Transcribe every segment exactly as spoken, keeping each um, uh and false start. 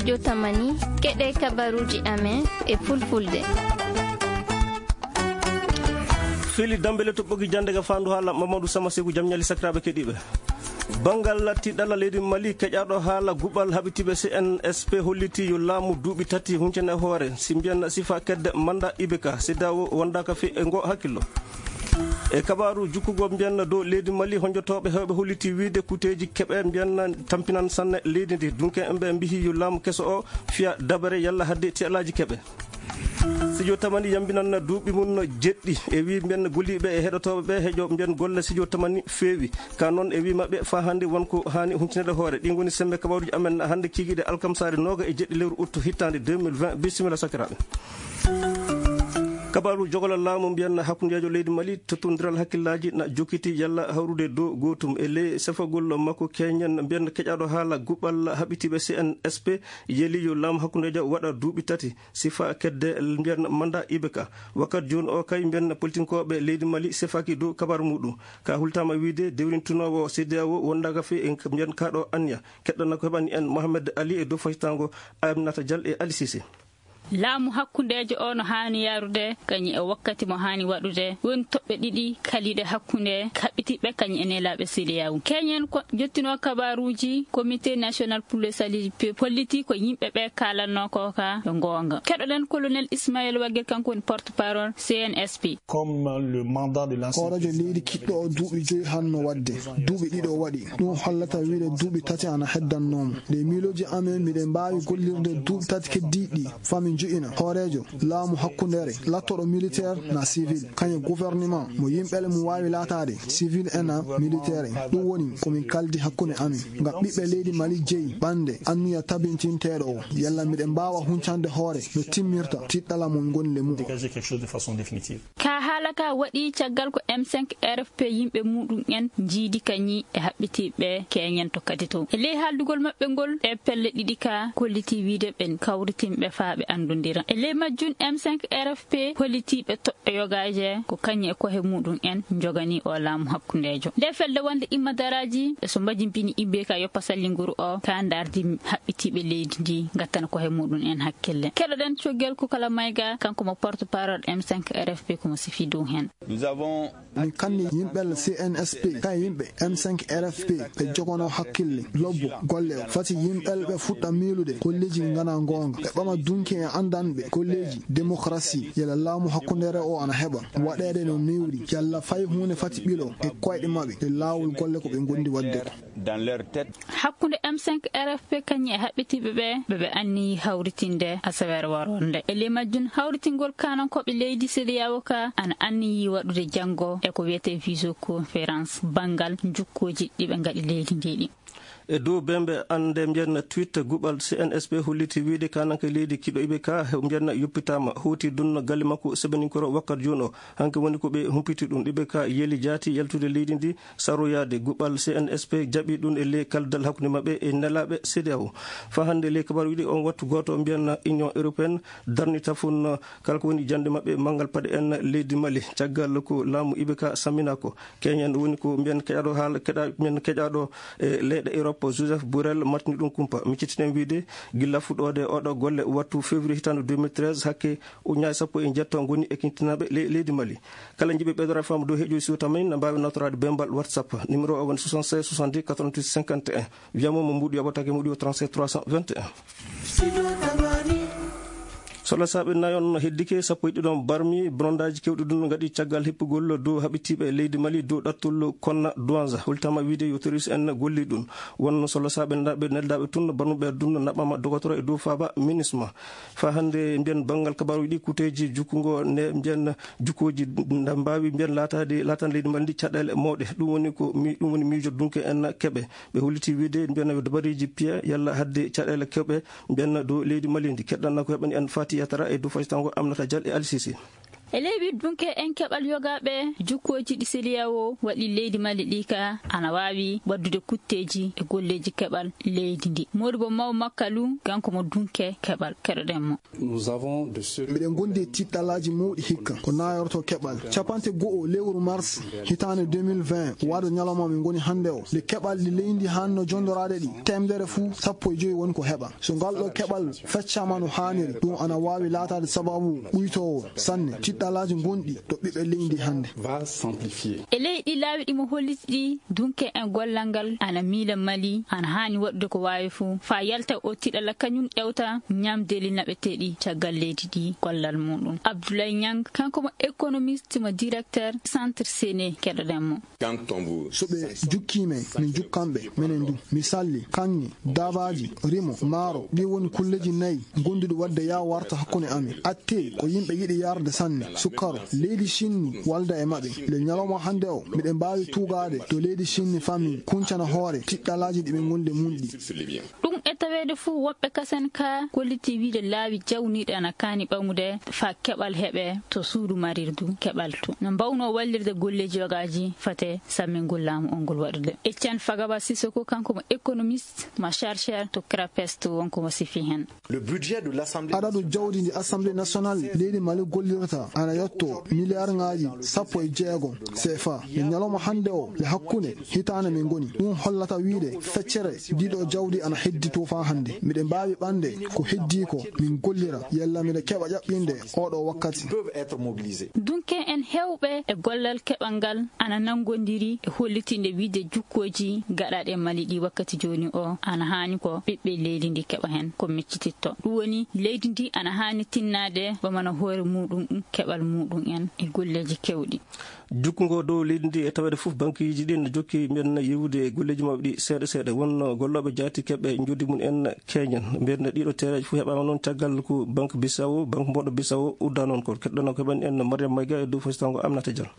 Jotamani, keɗe kabaruuji amen e fulfulde. Fili Dambele to ɓogi jannde ga faandu haala Mamadou Sama Seku, jam ñali sakiraaɓe keɗiiɓe. Banngal tiɗɗalla leydi Mali, keƴaaɗo haala guɓal haɓitiiɓe C N S P holliti yo laamu duuɓi tati huncene hoore, si mbiyan sifa kedde manda I B K, CEDEAO wondaaka fi e ngo hakkillo. E kabaaru jukkugo mbiyan dow leydi Mali, honjotooɓe heewɓe holliti wiide kuteeji keɓe mbiyan tampinan sanne leydi ndi. Dunke ɓe mbihi yo laamu keso o fiya dabare yalla hadde tiɗɗallaaji keɓe. Sijo Tamani yambinan duuɓi mum jeɗɗi. E wi mbiyan golliiɓe e heɗotooɓe ɓe heƴo mbiyan golle Sijo Tamani feewi. Ka noon e wi maɓɓe faa hannde won ko haani huncinede hoore. Ɗi ngoni semmbe kabaaruuji amen hannde kiikiiɗe alkamsaare nooga e jeɗɗi lewru ut hittaande deux mille vingt. Bisimilla sakiraaɓe. Kabaaru jogolal laamu mbiyan hakkundeejo leydi Mali, tottondiral hakkillaaji na jokkiti yalla hawrude dow gootum. E ley sefagol makko keñen mbiyan keƴaaɗo haala guɓal haɓitiiɓe C N S P yeli yo laamu hakkundeejo waɗa duuɓi tati. Sifa kedde mbiyan manda I B K. Wakkat jooni o kay mbiyan politinkooɓe leydi Mali sefaki dow kabar muɗum. Ka hultama wiide dewrintunoowo CEDEAO wondaaka fi en mbiyan kaɗo anniya. Keɗɗana ko heɓani en Mohamed Ali e dow faytango Aminata Dial e Ali Sise. Laamu hakkundeejo o no haani yarude kañum e wakkati mo haani waɗude. Woni toɓɓe ɗiɗi kaliɗe hakkunde kaɓɓitiɓɓe kañum e nelaaɓe CEDEAO. Keñen ko jottinoo kabaaruuji Comité National pour le Salut du Peuple holliti ko yimɓe ɓe kaalanno ko ka ɓe goonga. Keɗoɗen Colonel Ismaël Wagel, kanko woni porte-parole C N S P. Comme le mandat de l'ancien Hooreejo leydi kiɗɗo o duuɓi joyi hanno waɗde. Duuɓi ɗiɗi o waɗi. Ɗum hollata wiide duuɓi tati ana heddannoomo. Nde miilooji amen miɗen mbaawi gollirde duuɓi tati keddiiɗi ɗi. Fami njo'ina hooreejo laamu hakkundeere, lattoɗo militaire na civil, kañum gouvernement mo yimɓe le mum waawi laataade civil ena militaire. Ɗum woni ko min kaldi hakkunde amin. Ngam ɓiɓɓe leydi Mali jeyi ɓannde anniya tabintinteeɗo o. Yalla miɗen mbaawa huncande hoore no timmirta tiɗɗala mo ngoni le mum o. Dégager quelque chose de façon définitive. Ka haala ka waɗi caggal ko M cinq R F P yimɓe muɗum en njiidi kañi e haɓɓitiiɓe keñen to kadi to. E ley haaldugol maɓɓe ngol, e pelle ɗiɗi ka kolliti wiide ɓen kawritinɓe faa ɓe anndondira. E ley majjum, M cinq R F P hollitiiɓe toɓɓe yogaaje ko kañi e kohe muɗum en njogani o laamu hakkundeejo. Nde felde wonde imma daraaji e so mbajimbini I B K yoppa sallinguru o ka ndardi haɓɓitiiɓe leydi ndi ngattana kohe muɗum en hakkille. Keɗoɗen Cogel Kukala Mayga, kanko mo porte-parole M cinq R F P, ko mo sifi dow hen. Nous avons Min kanni yimɓe C N S P, kay yimɓe M cinq R F P, ɓe jogono hakkille, lobbo, golle o. Fati yimɓe ɓe fuɗɗa miilude kolleeji ngana goonga. Ɓe ɓama dunki e anndanɓe kolleeji démocratie, yala laamu hakkundeere o ana heɓa waɗeede no newri, yalla fay huunde fati ɓilo e koyɗe maɓɓe e laawol golle ko ɓe ngondi waɗde ko. Dans leur tête. Hakkunde M cinq R F P kañum e haɓɓitiiɓe ɓe, ɓe ɓe anniyi hawritinde asaweere waroore nde. E ley majjum, hawritingol kaanankooɓe leydi CEDEAO ka ana anniyi waɗude janngo e ko wiyetee visioconférence banngal njukkooji ɗi ɓe ngaɗi leydi ndi ɗi. E dow bembe annde mbiyan tweet guɓal C N S P holliti wiide kananke leydi kiɗo iɓe ka mbiyan yoppitama hoti dunno galle makko sebeninkoro wakkat joni o. Hanke woni ko ɓe humpiti ɗum ɗiɓe ka yeli jaati yaltude leydi ndi saroyaade. Guɓal C N S P jaɓi ɗum e ley kaldal hakkunde maɓɓe e nelaaɓe CEDEAO. Fa hannde ley kabaru wiɗi on wattu gooto mbiyan Union Européenne darnita fun kala ko woni jannde maɓɓe manngal paɗe en leydi Mali. Caggal ko laamu iɓe ka sammina ko keñen woni ko mbiyan keɗaɗo haala keɗa mbiyan keƴaɗo e leyɗe Europe, Joseph Borrell, martini ɗum kumpa. Miccitinen wiide gilla fuɗɗoode oɗo golle wattu février hitande deux mille treize hakke ujunnaaje sappo e jeetto ngoni e kintinaaɓe le-, leydi Mali. Kala njiɓe ɓeydora faamu dow heeƴoy siwta men, na mbaawi nawtoraade bembal WhatsApp. Numéro o woni soixante-seize soixante-dix quatre-vingt-huit cinquante et un. Wiyamo mo mbuuɗi yoɓatake muɗi o trente-sept trois cent vingt et un. Solo saaɓe nayon heddike sappo e ɗiɗon barmi, blondaji kewɗi ɗum ngaɗi caggal heppugol dow haɓitiiɓe leydi Mali dow ɗattol Konna Douanza. Hultama wiide yo terroriste en golli ɗum. Wonno solo saaɓe ndaɓe neldaɓe tun barmuɓe ɗum naɓama dogotoro e dow faaba minisma. Fa hannde mbiyan banngal kabaruji ɗi kuteji jukkungo ne mbiyan jukkoji nda mbawi mbiyan latade latan leydi Mali ndi caɗele mawɗe. Ɗum woni ko mi-, ɗum woni miijo dunke en keɓe. Ɓe holliti wiide mbiyan yo dabariji piya yalla hadde caɗele keɓe mbiyan dow leydi Mali ndi. Keɗɗanna ko heɓani en Fati Yatara e dow fasitango Aminata Dial e Ali Sisi. E leydi dunke en keɓal yogaaɓe jukkooji ɗi seliyawo waɗi leydi Mali ɗi ka ana waawi waɗdude kutteeji e golleeji keɓal leydi ndi. Modibo Maw Makkalu, kanko mo dunke keɓal, keɗoɗen mo. Miɗen gondi e tiɗɗalaaji mawɗi hikka ko naayorto keɓal. Cappanɗe go'o lewru mars hitaande deux mille vingt, waɗo ñalawma min ngoni hannde o, nde keɓal ɗi leydi hanno jondoraade ɗi, teemedere fuu sappo e joyi woni ko heɓa. So ngal ɗo keɓal feccaama no haaniri, ɗum ana waawi laataade sababu ɓuytoowo sanne tiɗɗalaaji ngonɗi to ɓiɓɓe leydi hannde. E leydi laawi ɗi mo holliti ɗi, dunke en gollal ngal ana miila Mali ana haani waɗude ko waawi fuu faa yalta o tiɗɗala kañum ƴewta ñaamdeeli naɓeteeɗi caggal leydi ɗi gollal muɗum. Abdoulaye Niang, kanko mo économiste mo directeur Centre Séné, keɗoɗen mo. So ɓe jukkii men, min jukkan ɓe, menen du. Mi salli, kaŋŋe, daabaaji, rimo, maaro, ɗi woni kulleeji nayi gonduɗi waɗde yaa warta hakkunde amin. Attee ko yimɓe yiɗi yarde sanne, sukkaro, leydi Sinni walda e maɓɓe. Le ñalawma hannde o, miɗen mbaawi tuugaade to leydi Sinni famille kuncana hoore tiɗɗalaaji ɗi ɓe ngondi e mum ɗi. Ɗum e taweede fuu woɓɓe kasen ka kolliti wiide laawi jawniiɗi ana kaani ɓamude faa keɓal heɓe to suudu marirdu keɓal to. No mbawnoo wallirde golleeji yogaaji fate sammi ngol laamu o ngol waɗude. Etienne Fagaba Sissoko, kanko mo économiste, mo chercheur to CRAPES to, wonko mo sifi hen. Adadu jawdi ndi Assemblée nationale leydi Mali gollirta ana yotto miliyarŋaaji sappo e jeego C F A. E ñalawma hannde o, e hakkunde hitaande min ngoni. Ɗum hollata wiide feccere ndiɗo jawdi ana heddi to faa hannde. Miɗen mbaawi ɓande ko heddi ko min gollira, yalla miɗen keɓa ƴaɓɓinde oɗo wakkati. Dunke en heewɓe e gollal keɓal ngal ana nanngondiri e hollitinde wiide jukkooji gaɗaaɗi e Mali ɗi wakkati jooni o ana haani ko ɓiɓɓe leydi ndi keɓa hen ko miccititto. Ɗum woni leydi ndi ana haani tinnaade ɓamana hoore muɗum keɓal muɗum en e golleeji kewɗi. Jukkungo dow leydi ndi e taweede fof, bankiiji ɗin jokki mbiyen yiwude e golleeji maɓɓe ɗi seeɗa seeɗa. Wonno gollooɓe jaati keɓe njoɓdi mum en keñen. Mbiyen ɗiɗo tereeji fof heɓaama noon caggal ko Banque Bissau, banque mboɗo Bissau udda noon ko. Keɗɗono ko heɓan en Mariam Mayga e dow fositango Aminata Diallo.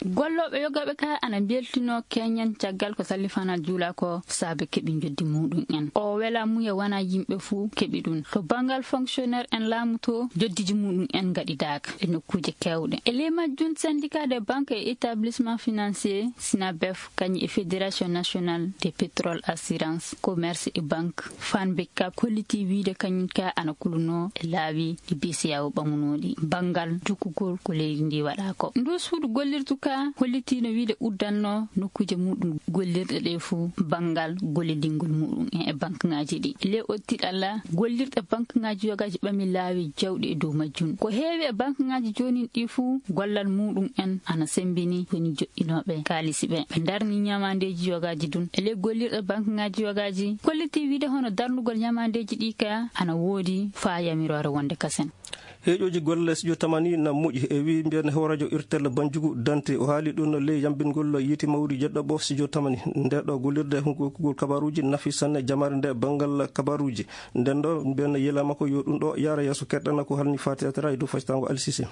Gollooɓe yogaaɓe ka ana mbeltinoo keñen caggal ko sallifanal juula ko saabe keɓi njoɓdi muɗum en. O wela muya wona yimɓe fof keɓi ɗum. To banngal fonctionnaire en laamu to, njoɓdiiji muɗum en ngaɗidaaka e nokkuuje keewɗe. E ley majjum, syndicat des banques et établissements financiers, SYNABEF, kañum e Fédération nationale des pétrole assurance, commerce et banque, Fann Bicap, kolliti wiide kañum ka ana kulunoo e laawi ɗi B C E A O ɓamunooɗi banngal jukkugol ko leydi ndi waɗa ko. Ndu suudu gollirdu ka hollitiino wiide uddanno nokkuuje muɗum gollirɗe ɗe fuu banngal gollidingol muɗum en e bankuŋaaji ɗi. Le ottiɗalla gollirɗe bankuŋaaji yogaaji ɓami laawi jawɗi e dow majjum. Ko heewi e bankuŋaaji joonin ɗi fuu gollal muɗum en ana semmbini woni joɗɗinooɓe kaalisi ɓe. Ɓe ndarni ñamaandeeji yogaaji ɗum. E le gollirɗe bankuŋaaji yogaaji kolliti wiide hono darnugol ñamaandeeji ɗi ka ana woodi faa yamiroore wonde kasen. Heeƴooji golle studio Tamani na moƴƴi, e wi mbiyen hooreejo irtel Banjugu Dante. O haali ɗum ley yambingol yiiti mawri jeɗɗo ɓo studio Tamani. Nde ɗo gollirde hunkugol kabaruuji nafi sanne jamaare nde banngal kabaruuji. Nden ɗo mbiyen yela makko yo ɗum ɗo yaara yeeso keɗɗana ko halni Faati Atara e dow fasitango Alsise.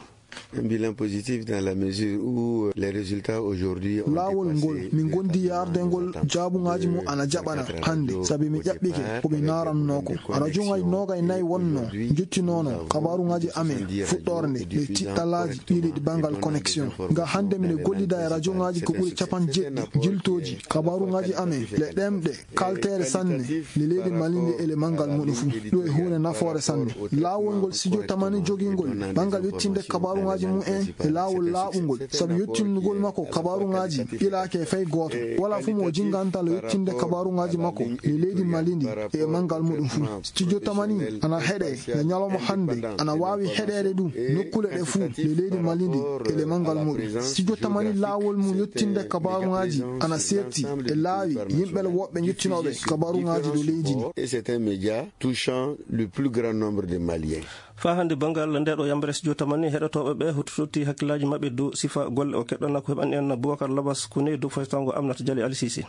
Un bilan positif dans la mesure où les résultats aujourd'hui ont été passés. Laawol ngol min gondi yaardengol jaabuŋaaji mum ana jaɓana hannde, sabi mi ƴaɓɓike ko ɓe naaranno ko. Rajoŋaaji noogay nayi wonno njottinono kabaruŋaaji amen fuɗɗoore nde, ɗe tiɗɗalaaji ɗiɗi ɗi banngal connexion. Nga hannde miɗo gollida e rajoŋaaji ko ɓuri capanɗe jeɗɗi jiltooji kabaruŋaaji amen le ɗemɗe kalteere sanne, le leydi Mali ndi e le manngal muɗum fuu. Ɗum e huunde nafoore sanne. Laawol ngol studio Tamani jogingol banngal yettinde kabaruŋaaji mum en e laawol laaɓungol, sabu yettindugol makko kabaruŋaaji ɓilaaki e fay gooto. Wala fuu mo o jingantal yettinde kabaruŋaaji makko le leydi Mali ndi e manngal muɗum fuu. Studio Tamani ana heɗe le ñalawma hannde, ana waawi heɗeede ɗum nokkule ɗe fuu le leydi Mali ndi e le manngal muɗum. Studio Tamani laawol mum yettinde kabaruŋaaji ana seerti e laawi yimɓe woɓɓe njettinooɓe kabaruŋaaji ɗo leydi ndi. Et c'est un média touchant le plus grand nombre de Maliens. Faa hannde banngal nde ɗo yambere studio Tamani heɗotooɓe ɓe hottototti hakkillaaji maɓɓe dow sifa golle o keɗɗana ko heɓan en Boubacar Labas Kone dow fasitango Aminata Diallo Alsise.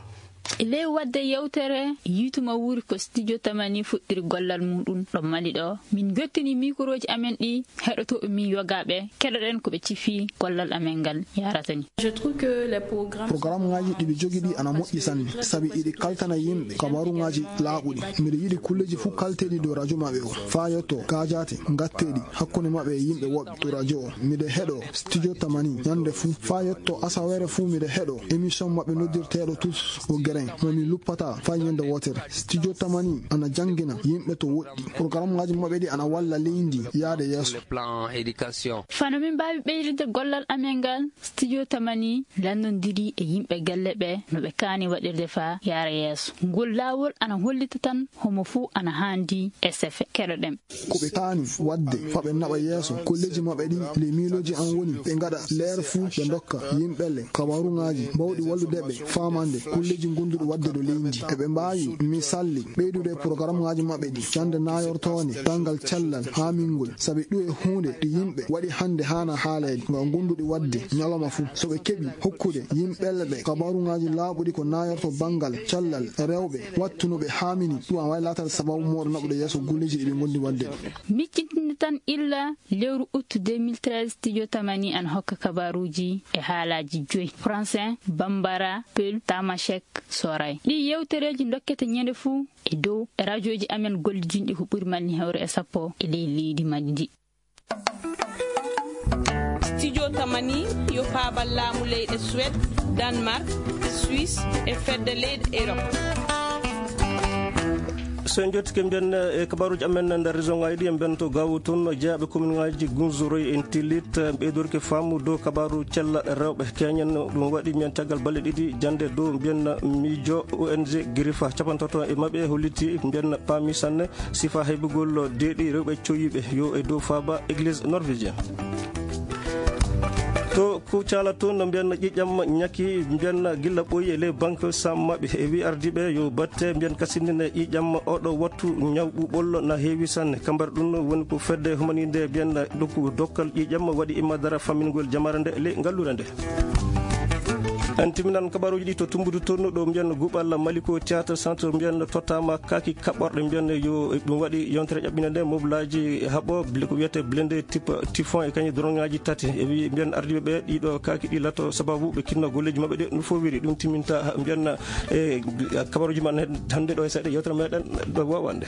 E ley waɗde yewtere, yiytuma wuuri ko Studio Tamani fuɗɗiri gollal muɗum ɗo Mali ɗo. Min njottini mikorooji amen ɗi heɗotooɓe min yogaaɓe, keɗoɗen ko ɓe cifi gollal amen ngal yarata ni. Je trouve que les programmes Programuŋaaji ɗi ɓe jogi ɗi ana moƴƴi sanne, sabi iɗi kaltana yimɓe kabaruŋaaji laaɓuɗi. Miɗo yiɗi kulleeji fof kalteeɗi dow radio maɓɓe o, faa yetto gaajaate ngatteeɗi hakkunde maɓɓe e yimɓe woɓɓe to radio o. Miɗo heɗo Studio Tamani ñande fuu, faa yetto asaweere fuu miɗo heɗo émission maɓɓe noddirteeɗo Tous au Grain, mo mi luppata faa ñande wootere. Studio Tamani ana janngina yimɓe to woɗɗi. Programuŋaaji maɓɓe ɗi ana walla leydi yaade yeeso. Plan éducation. Fano min mbaawi ɓeyditde gollal amen ngal, Studio Tamani lanndondiri e yimɓe galle ɓe no ɓe kaani waɗirde faa yaara yeeso. Ngol laawol ana hollita tan homo fuu ana haandi S F. Keɗoɗen. Ko ɓe kaani waɗde faa ɓe naɓa yeeso kolleeji maɓɓe ɗi, ley miilooji an woni ɓe ngaɗa leer fuu ɓe ndokka yimɓe le kabaruŋaaji bawɗi wallude ɓe faamande kolleeji ngonduɗi waɗde ɗo leydi. Eɓe mbaawi misalli ɓeydude e programuŋaaji maɓɓe ɗi cande naayortoonde banngal cellal haamingol, sabi ɗum e huunde ɗi yimɓe waɗi hannde haana haaleede nga ngonduɗi waɗde ñalawma fuu. So ɓe keɓi hokkude yimɓe le ɓe kabaruŋaaji laaɓuɗi ko naayorto banngal cellal rewɓe wattu no ɓe haamini, ɗum a waawi laataade sababu mooɗo naɓude yeeso golleeji ɗi ɓe ngondi waɗde ɗo. Miccitinde tan illa lewru août deux mille treize, Studio Tamani ana hokka kabaaruuji e haalaaji joyi: Français, Bambara, Peul, Tamashek, Soray. Ɗii yewtereeji ndokkete ñande fuu e dow e rajooji amen gollidinɗi ko ɓuri malli hewre e sappo e ley leydi Mali ndi. Studio Tamani yo paabal laamu leyɗe Suède, Danemark, Suisse e fedde leyɗe Europe. So en njottike mbiyen e kabaruuji amen nder région ŋaaji ɗi, en mbiyen to Gaawo toon, jeyaaɓe kominŋaaji Gunzoroy en Tillit, ɓeydorke faamu dow kabaaru cellal rewɓe keñen. Ɗum waɗi mbiyen caggal balɗe ɗiɗi jannde dow mbiyen miijo O N G Grifa. Capantato e maɓɓe holliti mbiyen paami sanne sifa heɓugol deeɗi rewɓe cowiiɓe yo e dow faaba église norvégien. To Kucala toon no mbiyen ƴiiƴam ñaki mbiyen gilla ɓooyi e ley banque sam maɓɓe. E wi ardiiɓe yo batte mbiyen kasindine ƴiiƴam oɗo wattu ñaw ɓuuɓol na heewi sanne. Kambar ɗum woni ko fedde humaninde mbiyen ɗokku dokkal ƴiiƴam waɗi imma dara fammingol jamaare nde ley ngallure nde. En timinan kabaruuji ɗi to Tumbudu toon ɗo mbiyen guɓal Maliko Théâtre Centre mbiyen tottama kaaki kaɓɓorɗe mbiyen yo ɗum waɗi yontere ƴaɓɓinde nde moblaaji haɓo ble-, ko wiyete blende type typhon e kañum droneŋaaji tati. E wi mbiyen ardiiɓe ɓe ɗiɗo kaaki ɗi lato sababu ɓe kinno golleeji maɓɓe ɗe no fowiri. Ɗum timinta ha mbiyen e kabaruuji man hannde ɗo e seeɗa yewtere meɗen ɗo wowande.